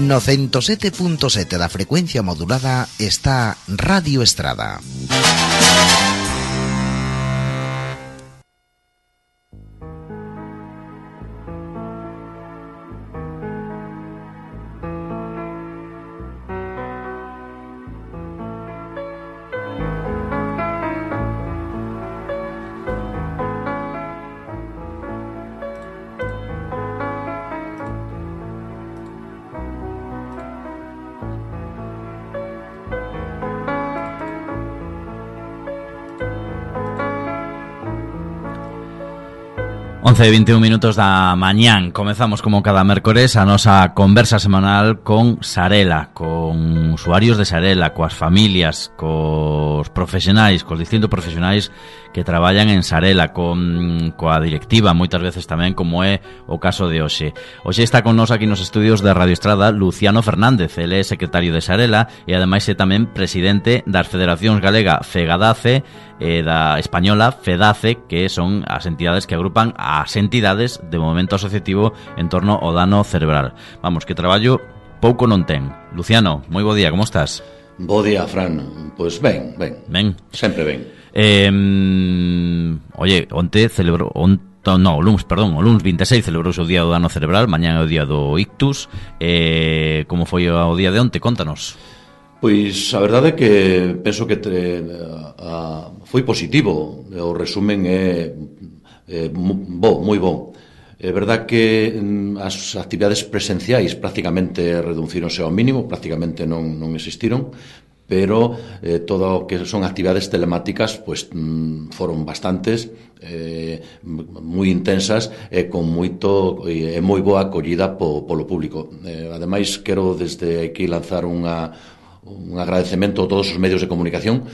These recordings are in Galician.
No 107.7 da frecuencia modulada está Radio Estrada. 11:21 minutos da mañán. Comezamos como cada mércores a nosa conversa semanal con Sarela, con usuarios de Sarela, coas familias, cos profesionais, cos distintos profesionais que traballan en Sarela, coa directiva, moitas veces tamén, como é o caso de hoxe. Hoxe está con nós aquí nos estudios de Radio Estrada Luciano Fernández, ele é secretario de Sarela e ademais é tamén presidente das Federacións Galega Fegadace e da Española Fedace, que son as entidades que agrupan as entidades de movimento asociativo en torno ao dano cerebral. Vamos, que traballo pouco non ten. Luciano, moi bo día, como estás? Bo día, Fran. Pois ben. Sempre ben. Oye, onte celebrou... o luns 26 celebrouse o día do dano cerebral, mañá é o día do ictus. Como foi o día de onte? Contanos. Pois a verdade é que penso que foi positivo. O resumen é moi bo. É verdade que as actividades presenciais prácticamente reducironse ao mínimo, prácticamente non existiron, pero todo o que son actividades telemáticas pois foron bastantes, moi intensas e con moito e moi boa acollida polo público. Ademais, quero desde aquí lanzar un agradecemento a todos os medios de comunicación,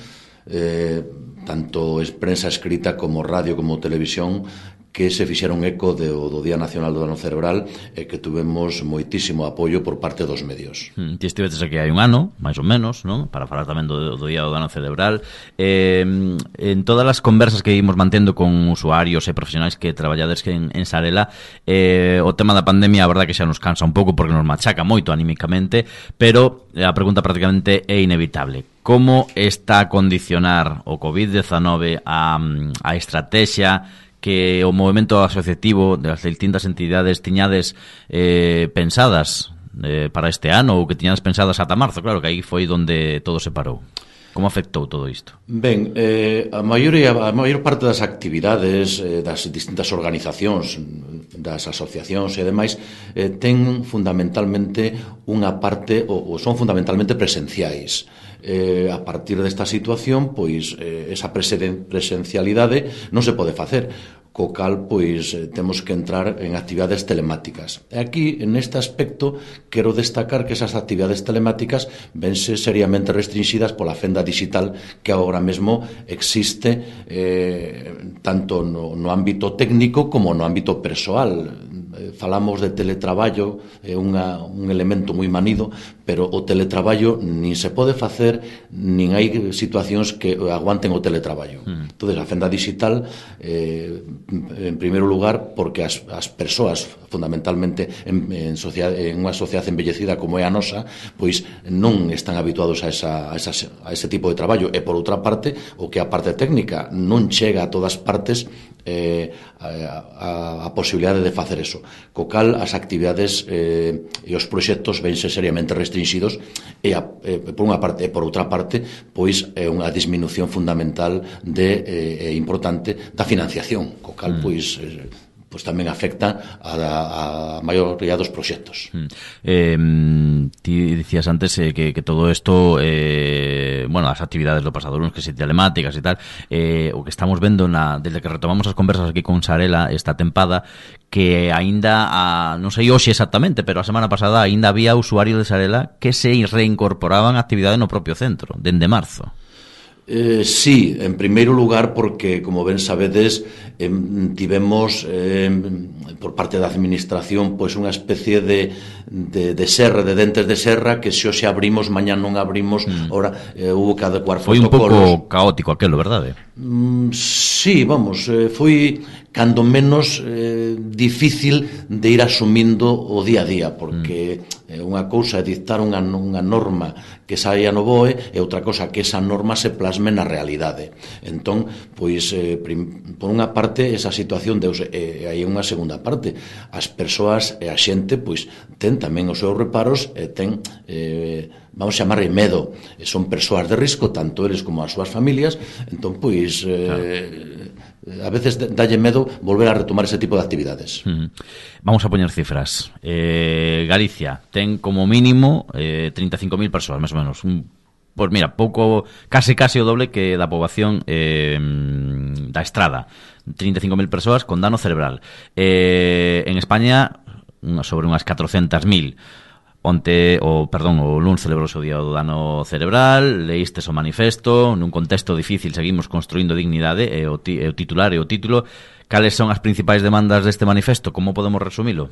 tanto prensa escrita como radio como televisión, que se fixeron eco do Día Nacional do Dano Cerebral e que tuvemos moitísimo apoio por parte dos medios. Ti estivetes aquí hai un ano, máis ou menos, non? Para falar tamén do Día do Dano Cerebral. En todas as conversas que ímos mantendo con usuarios e profesionais que traballades en Sarela, o tema da pandemia, a verdade que xa nos cansa un pouco porque nos machaca moito anímicamente, pero a pregunta prácticamente é inevitable. Como está a condicionar o COVID-19 a estrategia que o movimento asociativo das distintas entidades tiñades pensadas para este ano, ou que tiñades pensadas ata marzo? Claro que aí foi onde todo se parou. Como afectou todo isto? Ben, a maior parte das actividades das distintas organizacións, das asociacións e demais, ten fundamentalmente unha parte, ou son fundamentalmente presenciais. A partir desta situación, pois esa presencialidade non se pode facer, co cal pois temos que entrar en actividades telemáticas. E aquí, neste aspecto, quero destacar que esas actividades telemáticas vense seriamente restringidas pola fenda digital que agora mesmo existe tanto no ámbito técnico como no ámbito persoal. Falamos de teletraballo, é un elemento moi manido, pero o teletraballo nin se pode facer, nin hai situacións que aguanten o teletraballo. Entón, a fenda digital, en primeiro lugar, porque as persoas, fundamentalmente en unha sociedade envellecida como é a nosa, pois non están habituados a ese tipo de traballo, e por outra parte, o que a parte técnica non chega a todas partes a posibilidade de facer eso, co cal as actividades e os proxectos vense seriamente restringidos e por unha parte e por outra parte pois é unha disminución fundamental e importante da financiación, co cal pois tamén afecta a maioría dos proxectos. Ti dicías antes que todo isto, as actividades do pasado luns, que se telemáticas e tal, o que estamos vendo desde que retomamos as conversas aquí con Sarela esta tempada, que aínda, non sei hoxe exactamente, pero a semana pasada aínda había usuarios de Sarela que se reincorporaban a actividade no propio centro, dende marzo. Sí, en primeiro lugar porque, como ben sabedes, tivemos por parte da administración pois unha especie de serra, de dentes de serra, que se hoxe abrimos, mañá non abrimos. Ora hubo que adecuar foi protocolos. Un pouco caótico aquelo, verdade? Sí, vamos, foi cando menos difícil de ir asumindo o día a día, porque unha cousa é dictar unha norma que saia no BOE, e outra cousa que esa norma se plasme na realidade. Entón, pois, por unha parte, esa situación deuse, e hai unha segunda parte. As persoas e a xente, pois, ten tamén os seus reparos, e ten, vamos chamar medo. Son persoas de risco, tanto eles como as súas familias. Entón, pois, a veces dalle medo volver a retomar ese tipo de actividades. Vamos a poñer cifras. Galicia ten como mínimo 35.000 persoas, máis ou menos. Pois mira, pouco, case o doble que da poboación da Estrada. 35.000 persoas con dano cerebral. En España, sobre unhas 400.000. O luns celebrouse o Día do Dano Cerebral, leístes o manifesto, nun contexto difícil seguimos construindo dignidade, e o titular e o título. Cales son as principais demandas deste manifesto? Como podemos resumilo?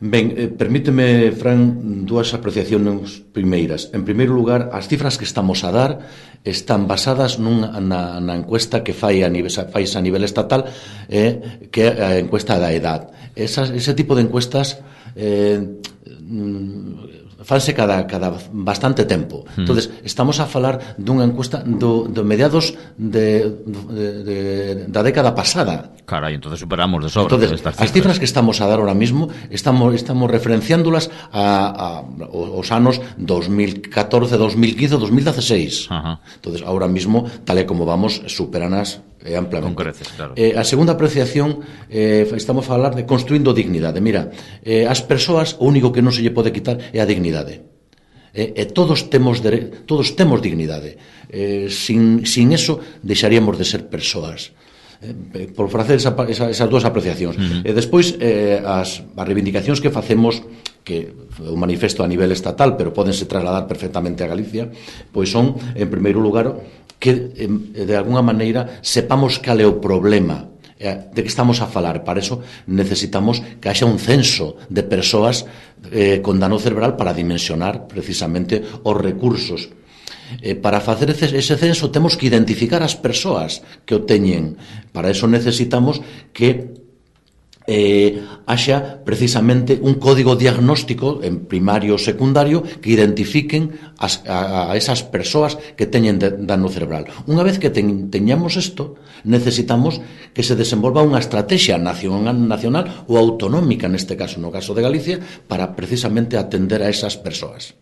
Ben, permíteme, Fran, dúas apreciacións primeiras. En primeiro lugar, as cifras que estamos a dar están basadas na encuesta que fai a nivel estatal, que é a encuesta da edad. Ese tipo de encuestas fanse cada bastante tempo. Entonces, estamos a falar dunha encuesta do mediados da década pasada. Carai, entonces superamos de sobra. Entonces, as cifras que estamos a dar ahora mismo estamos referenciándolas aos anos 2014, 2015, 2016. Entonces, ahora mismo, tal e como vamos, superanas amplamente. Con creces, claro. A segunda apreciación, estamos a falar de construindo dignidade. Mira, as persoas, o único que non se lle pode quitar é a dignidade. Todos temos dignidade. Sin eso, deixaríamos de ser persoas. Por facer esas dúas apreciacións. Despois, as reivindicacións que facemos, que o manifesto a nivel estatal, pero pódense trasladar perfectamente a Galicia, pois son, en primeiro lugar, que de alguna maneira sepamos cal é o problema de que estamos a falar. Para eso necesitamos que haxa un censo de persoas con dano cerebral para dimensionar precisamente os recursos. Para facer ese censo temos que identificar as persoas que o teñen. Para eso necesitamos que haxa precisamente un código diagnóstico en primario ou secundario que identifiquen a esas persoas que teñen dano cerebral. Unha vez que teñamos isto, necesitamos que se desenvolva unha estrategia nacional ou autonómica, neste caso, no caso de Galicia, para precisamente atender a esas persoas.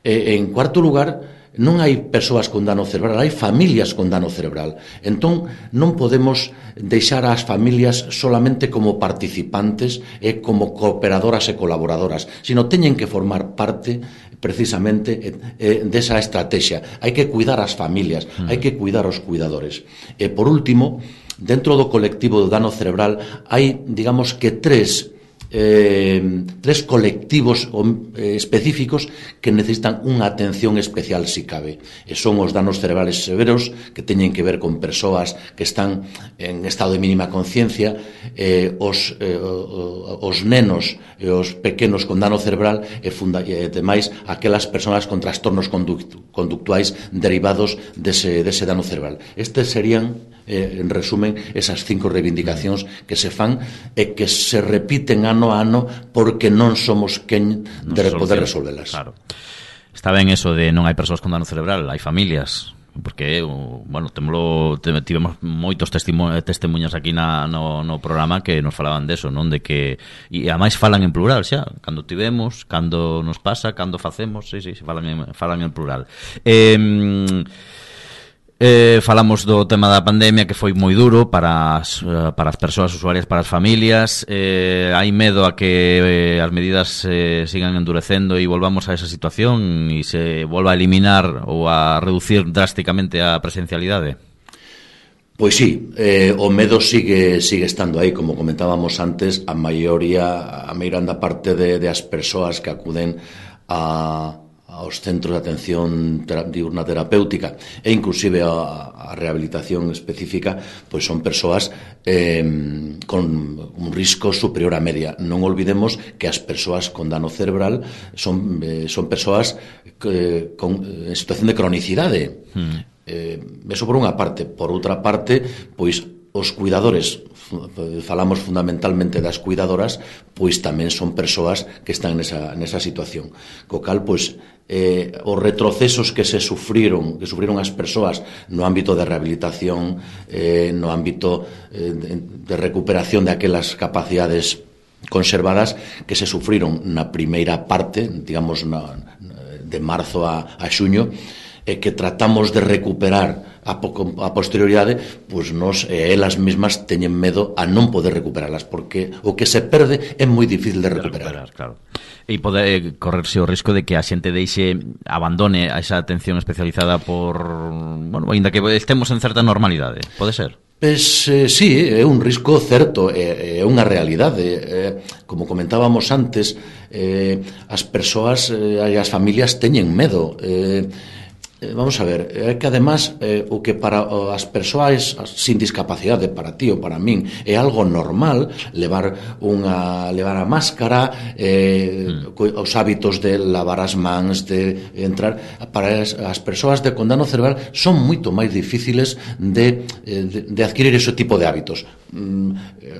En cuarto lugar, non hai persoas con dano cerebral, hai familias con dano cerebral. Entón, non podemos deixar as familias solamente como participantes e como cooperadoras e colaboradoras, sino teñen que formar parte precisamente desa estrategia. Hai que cuidar as familias, hai que cuidar os cuidadores. E, por último, dentro do colectivo do dano cerebral hai, digamos que tres colectivos específicos que necesitan unha atención especial, si cabe, e son os danos cerebrales severos, que teñen que ver con persoas que están en estado de mínima conciencia, os nenos e os pequenos con dano cerebral, e demais aquelas persoas con trastornos conductuais derivados dese dano cerebral. Estes serían, en resumen, esas 5 reivindicacións que se fan e que se repiten ano a ano, porque non somos quen de poder resolvelas. Claro. Está ben eso de non hai persoas con dano cerebral, hai familias, porque, bueno, tivemos moitos testemunhas aquí no programa que nos falaban deso, non? De que, e ademais falan en plural xa, cando tivemos, cando nos pasa, cando facemos, sí, falan en plural. Falamos do tema da pandemia, que foi moi duro para as persoas usuarias, para as familias. Hai medo a que as medidas sigan endurecendo e volvamos a esa situación e se volva a eliminar ou a reducir drásticamente a presencialidade. Pois sí, o medo sigue estando aí. Como comentábamos antes, a meiranda parte de as persoas que acuden ao aos centros de atención diurna terapéutica e inclusive a rehabilitación específica, pois son persoas con un risco superior á media. Non olvidemos que as persoas con dano cerebral son persoas en situación de cronicidade. Eso por unha parte. Por outra parte, pois os cuidadores, falamos fundamentalmente das cuidadoras, pois tamén son persoas que están nesa situación. Co cal, pois, os retrocesos que sufriron as persoas no ámbito de rehabilitación, no ámbito de recuperación de aquelas capacidades conservadas que se sufriron na primeira parte, digamos, de marzo a xuño, que tratamos de recuperar a posterioridade, pois nós e elas mesmas teñen medo a non poder recuperalas, porque o que se perde é moi difícil de recuperar. Claro. E pode correrse o risco de que a xente abandone a esa atención especializada por, ainda que estemos en certa normalidade, pode ser? Pois sí, é un risco certo, é unha realidade. Como comentábamos antes, as persoas e as familias teñen medo. Vamos a ver, é que además o que para as persoas sin discapacidade, para ti ou para min, é algo normal levar a máscara, os hábitos de lavar as mans, de entrar, para as persoas con dano cerebral son moito máis difíciles de adquirir ese tipo de hábitos.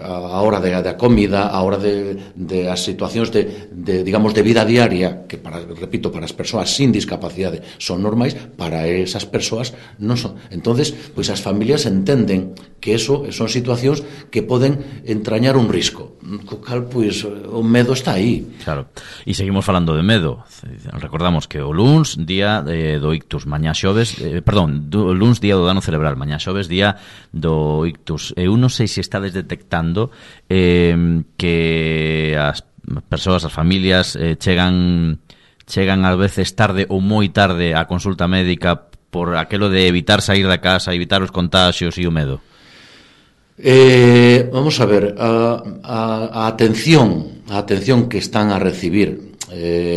A hora da comida, a hora de as situacións digamos, de vida diaria, que, repito, para as persoas sin discapacidade son normais, para esas persoas non son. Entonces, pois as familias entenden que eso son situacións que poden entrañar un risco, co cal, pois, o medo está aí. Claro. E seguimos falando de medo. Recordamos que o luns, día do ictus, mañá xoves, luns, día do dano cerebral, mañá xoves, día do ictus. Eu non sei se estades detectando que as persoas, as familias chegan ás veces tarde ou moi tarde á consulta médica por aquelo de evitar sair da casa, evitar os contaxios e o medo. Vamos a ver, a atención que están a recibir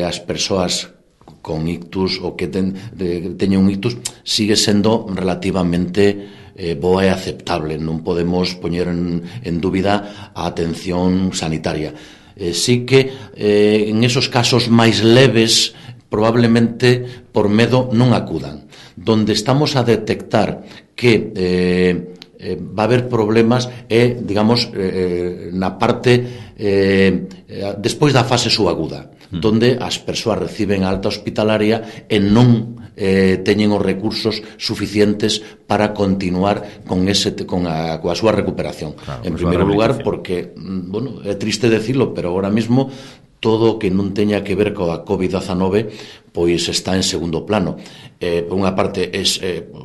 as persoas con ictus ou que teñen un ictus sigue sendo relativamente boa e aceptable. Non podemos poñer en dúbida a atención sanitaria. Sí que en esos casos máis leves probablemente por medo non acudan. Donde estamos a detectar que va a haber problemas é, digamos, na parte despois da fase subaguda, donde as persoas reciben a alta hospitalaria e non teñen os recursos suficientes para continuar coa súa recuperación. Claro, en primeiro lugar, porque, é triste decirlo, pero agora mesmo todo o que non teña que ver coa COVID-19 pois está en segundo plano. Por unha parte,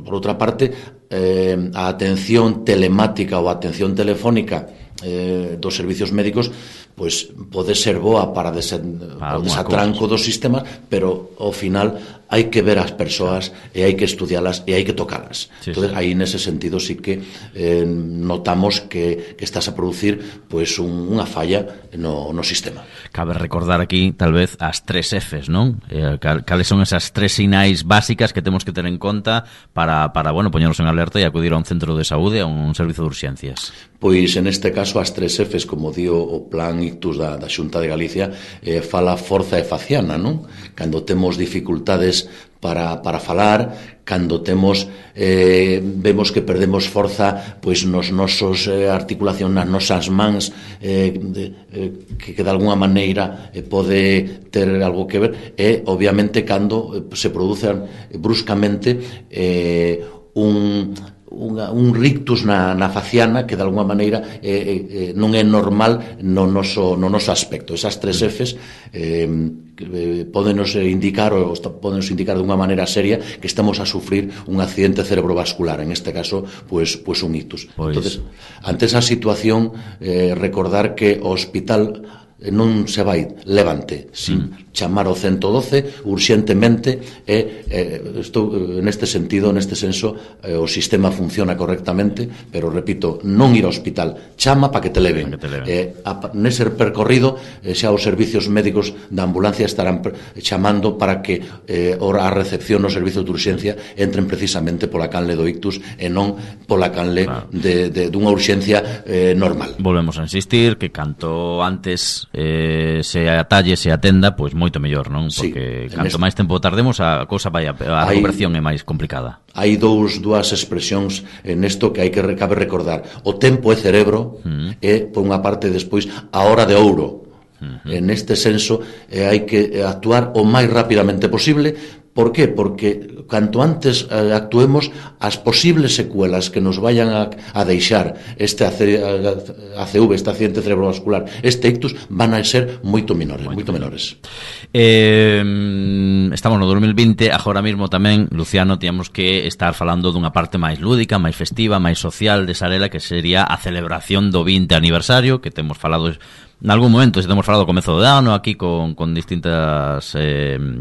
por outra parte, a atención telemática ou a atención telefónica dos servicios médicos pois pode ser boa para o desatranco dos sistemas, pero ao final hai que ver as persoas e hai que estudialas e hai que tocalas. Entonces, aí nese sentido sí que notamos que estás a producir pois unha falla no sistema. Cabe recordar aquí, tal vez, as 3 Fs, non? Cales son esas 3 sinais básicas que temos que ter en conta para poñernos en alerta e acudir a un centro de saúde, a un servizo de urxencias? Pois, en este caso, as 3 Fs, como dio o Plan Ictus da Xunta de Galicia, fala forza e faciana, non? Cando temos dificultades para falar, cando vemos que perdemos forza pois nos nosos articulación, nas nosas mans, que de alguna maneira pode ter algo que ver, e obviamente cando se producen bruscamente un rictus na faciana que de alguna maneira non é normal no noso aspecto. Esas 3 Fs podenos indicar de unha maneira seria que estamos a sufrir un accidente cerebrovascular, en este caso pois un ictus. Entonces, ante esa situación, recordar que o hospital non se vai levante sin chamar ao 112 urxentemente estou neste sentido, neste senso o sistema funciona correctamente, pero repito, non ir ao hospital, chama para que te leven, nese percorrido xa os servicios médicos da ambulancia estarán chamando para que a recepción nos servicios de urxencia entren precisamente pola canle do ictus e non pola canle dunha urxencia normal. Volvemos a insistir que canto antes se atalle, se atenda, pois moito mellor, non? Porque canto máis tempo tardemos a cousa vai a recuperación é máis complicada. Hai dúas expresións nesto que cabe recordar. O tempo é cerebro e, por unha parte, despois, a hora de ouro. Neste senso, hai que actuar o máis rapidamente posible. Por qué? Porque canto antes actuemos, as posibles secuelas que nos vayan a deixar este ACV, este accidente cerebrovascular, este ictus, van a ser moito menores. Estamos no 2020, agora mesmo tamén, Luciano, tiñamos que estar falando dunha parte máis lúdica, máis festiva, máis social de Sarela, que sería a celebración do 20 aniversario, que temos falado en algún momento, se temos falado ao comezo do ano aquí con distintas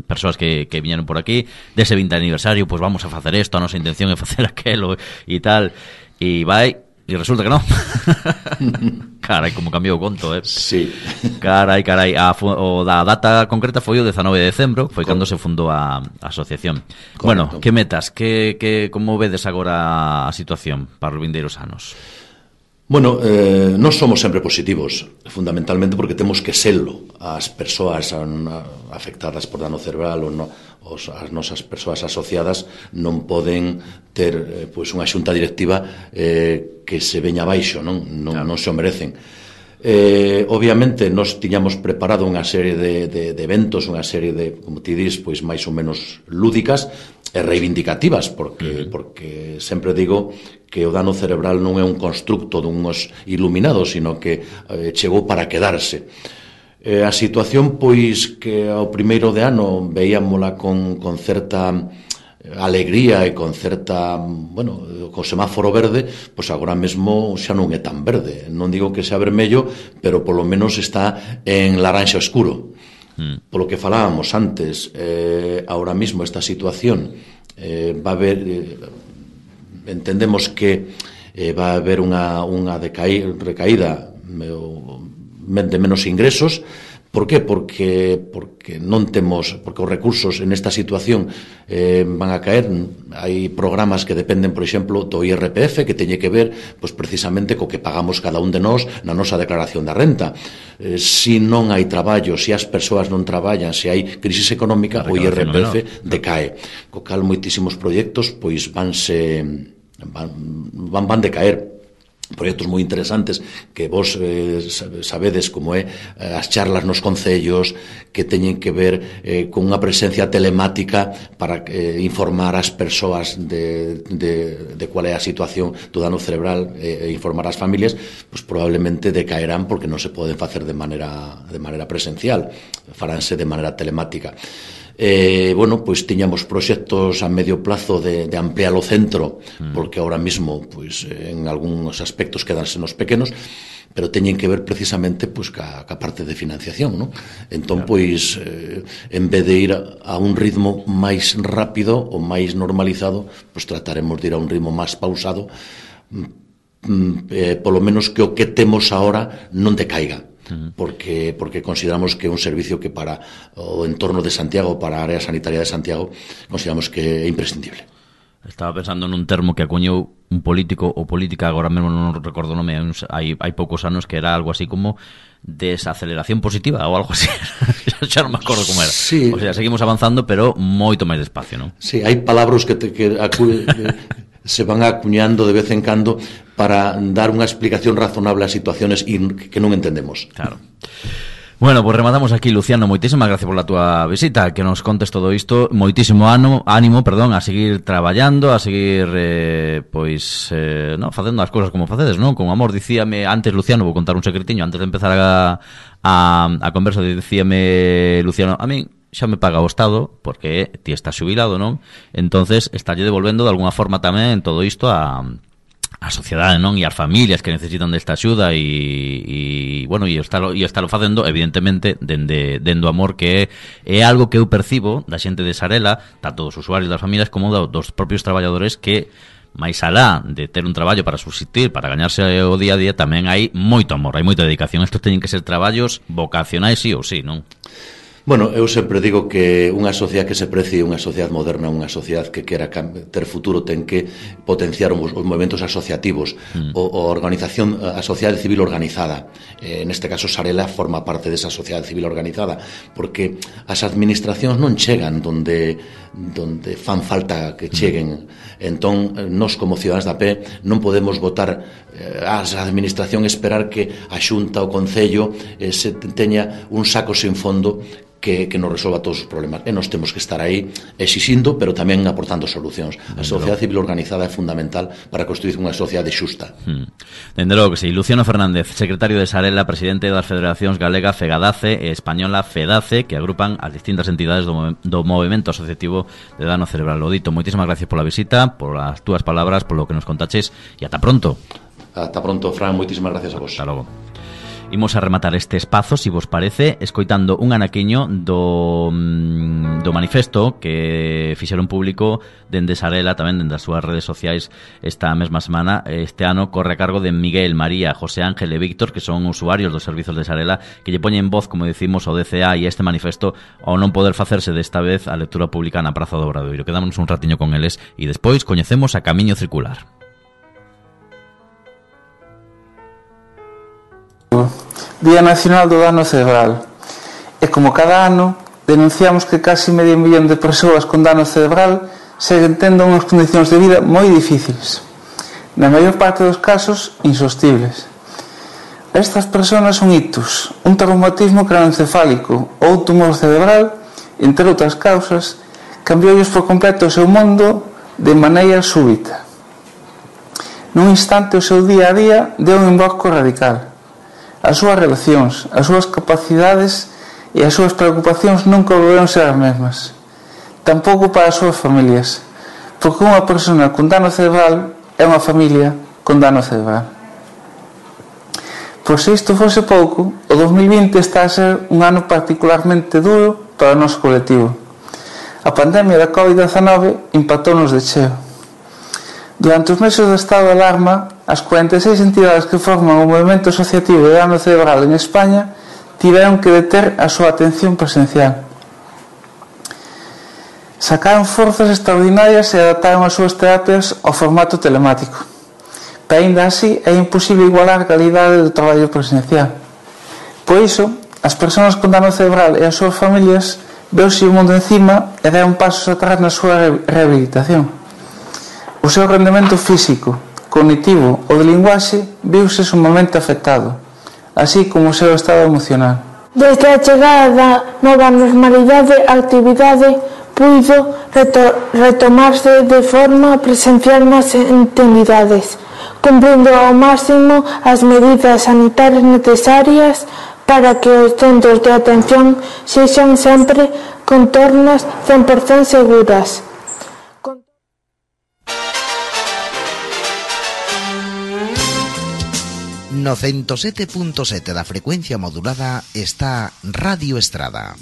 persoas que viñeron por aquí dese 20 aniversario, pois vamos a facer isto, a nosa intención é facer aquelo e tal, e resulta que non. Carai, como cambiou o conto, Sí. Carai, a data concreta foi o 19 de decembro, foi cando se fundou a asociación. Correcto. Bueno, que metas, como vedes agora a situación para os vindeiros anos? Bueno, non somos sempre positivos, fundamentalmente porque temos que selo. As persoas afectadas por dano cerebral as nosas persoas asociadas non poden ter unha xunta directiva que se veña abaixo, non se o merecen. Obviamente nos tiñamos preparado unha serie de eventos, unha serie de, como ti dis, pois máis ou menos lúdicas e reivindicativas, porque sempre digo que o dano cerebral non é un constructo dunhos iluminados, sino que chegou para quedarse. A situación, pois, que ao primeiro de ano veíamola con certa alegría e con certa, con semáforo verde, pois agora mesmo xa non é tan verde. Non digo que sea vermello, pero polo menos está en laranxa oscuro. Polo que falábamos antes, ahora mismo esta situación va a haber, entendemos que va a haber unha recaída de menos ingresos. Por qué? Porque non temos, porque os recursos en esta situación van a caer. Hai programas que dependen, por exemplo, do IRPF, que teñe que ver pois precisamente co que pagamos cada un de nós na nosa declaración da renta. Se non hai traballo, se as persoas non traballan, se hai crisis económica, o IRPF decae. Co cal moitísimos proxectos pois van decaer. Proxectos moi interesantes que vos sabedes como é as charlas nos concellos, que teñen que ver con unha presencia telemática para informar as persoas de cual é a situación do dano cerebral e informar as familias, pois probablemente decaerán porque non se poden facer de maneira presencial, faránse de maneira telemática. Pois tiñamos proxectos a medio plazo de ampliar o centro, porque ahora mismo pois en algúns aspectos quedanse nos pequenos, pero teñen que ver precisamente pois ca parte de financiación, non? Entón, pois en vez de ir a un ritmo máis rápido ou máis normalizado, pois trataremos de ir a un ritmo máis pausado, polo menos que o que temos ahora non decaiga. Porque consideramos que é un servicio que para o entorno de Santiago, para a área sanitaria de Santiago, consideramos que é imprescindible. Estaba pensando nun termo que acuñou un político ou política, agora mesmo non recordo o nome, hai poucos anos, que era algo así como desaceleración positiva ou algo así. Xa non me acordo como era. Sí. O sea, seguimos avanzando, pero moito máis despacio, non? Sí, hai palabras que se van acuñando de vez en cando para dar unha explicación razonable a situaciones que non entendemos. Claro. Bueno, pues rematamos aquí, Luciano. Moitísimas gracias por la túa visita, que nos contes todo isto. Moitísimo ánimo, a seguir traballando, a seguir facendo as cousas como facedes, non? Con amor. Dicíame antes, Luciano, vou contar un secretiño antes de empezar a conversa, dicíame Luciano, a min xa me paga o Estado, porque ti estás xubilado, non? Entonces, estalle devolvendo de alguna forma tamén todo isto a a sociedade, non? E as familias que necesitan desta axuda e bueno, e estalo facendo evidentemente dende o amor, que é algo que eu percibo da xente de Sarela, tanto dos usuarios das familias como dos propios traballadores, que máis alá de ter un traballo para subsistir, para gañarse o día a día, tamén hai moito amor, hai moita dedicación. Estos teñen que ser traballos vocacionais sí ou sí, non? Bueno, eu sempre digo que unha sociedade que se precie, unha sociedade moderna, unha sociedade que quera ter futuro, ten que potenciar os movimentos asociativos, a organización, a sociedade civil organizada. Neste caso, Sarela forma parte desa sociedade civil organizada, porque as administracións non chegan donde fan falta que cheguen. Entón, nós como cidadáns da pé non podemos votar ás administración, esperar que a Xunta, o Concello se teña un saco sen fondo que nos resolva todos os problemas. E nós temos que estar aí exixindo, pero tamén aportando solucións. A sociedade civil organizada é fundamental para construir unha sociedade xusta. Dende logo que sí. Luciano Fernández, secretario de Sarela, presidente das federacións galega Fegadace e española Fedace, que agrupan as distintas entidades do movimento asociativo de dano cerebral. Lo dito, moitísimas gracias pola visita, por as túas palabras, por lo que nos contaches, e ata pronto. Ata pronto, Fran, moitísimas gracias a vos. Ata logo. Imos a rematar este espazo, si vos parece, escoitando un anaquiño do manifesto que fixeron público dende Sarela, tamén dende as súas redes sociais esta mesma semana. Este ano corre a cargo de Miguel, María, José Ángel e Víctor, que son usuarios dos servizos de Sarela, que lle poñen voz, como decimos, ao DCA e este manifesto, ao non poder facerse desta vez a lectura pública na Praza do Obradoiro. Quedámonos un ratiño con eles e despois coñecemos a Camiño Circular. Día Nacional do Dano Cerebral. E como cada ano denunciamos que casi medio millón de persoas con dano cerebral seguen tendo unhas condicións de vida moi difíciles, na maior parte dos casos insostibles. Estas persoas son ictus, un traumatismo craneoencefálico ou tumor cerebral, entre outras causas, cambiolles por completo o seu mundo de maneira súbita. Nun instante o seu día a día deu un embarco radical. As súas relacións, as súas capacidades e as súas preocupacións nunca volveron ser as mesmas. Tampouco para as súas familias, porque unha persona con dano cerebral é unha familia con dano cerebral. Por se isto fose pouco, o 2020 está a ser un ano particularmente duro para o noso colectivo. A pandemia da COVID-19 impactou-nos de cheo. Durante os meses do estado de alarma, as 46 entidades que forman o movimento asociativo de dano cerebral en España tiveron que deter a súa atención presencial. Sacaron forzas extraordinarias e adaptaron as súas terapias ao formato telemático. Pero ainda así é imposible igualar a calidade do traballo presencial. Por iso, as persoas con dano cerebral e as súas familias veuse o mundo encima e deron pasos atrás na súa rehabilitación. O seu rendemento físico, cognitivo ou de linguaxe viuse sumamente afectado, así como o seu estado emocional. Desde a chegada da nova normalidade, a actividade puido retomarse de forma presencial nas entidades, cumprindo ao máximo as medidas sanitarias necesarias para que os centros de atención sexan sempre contornas 100% seguras. No 107.7 da frecuencia modulada está Radio Estrada.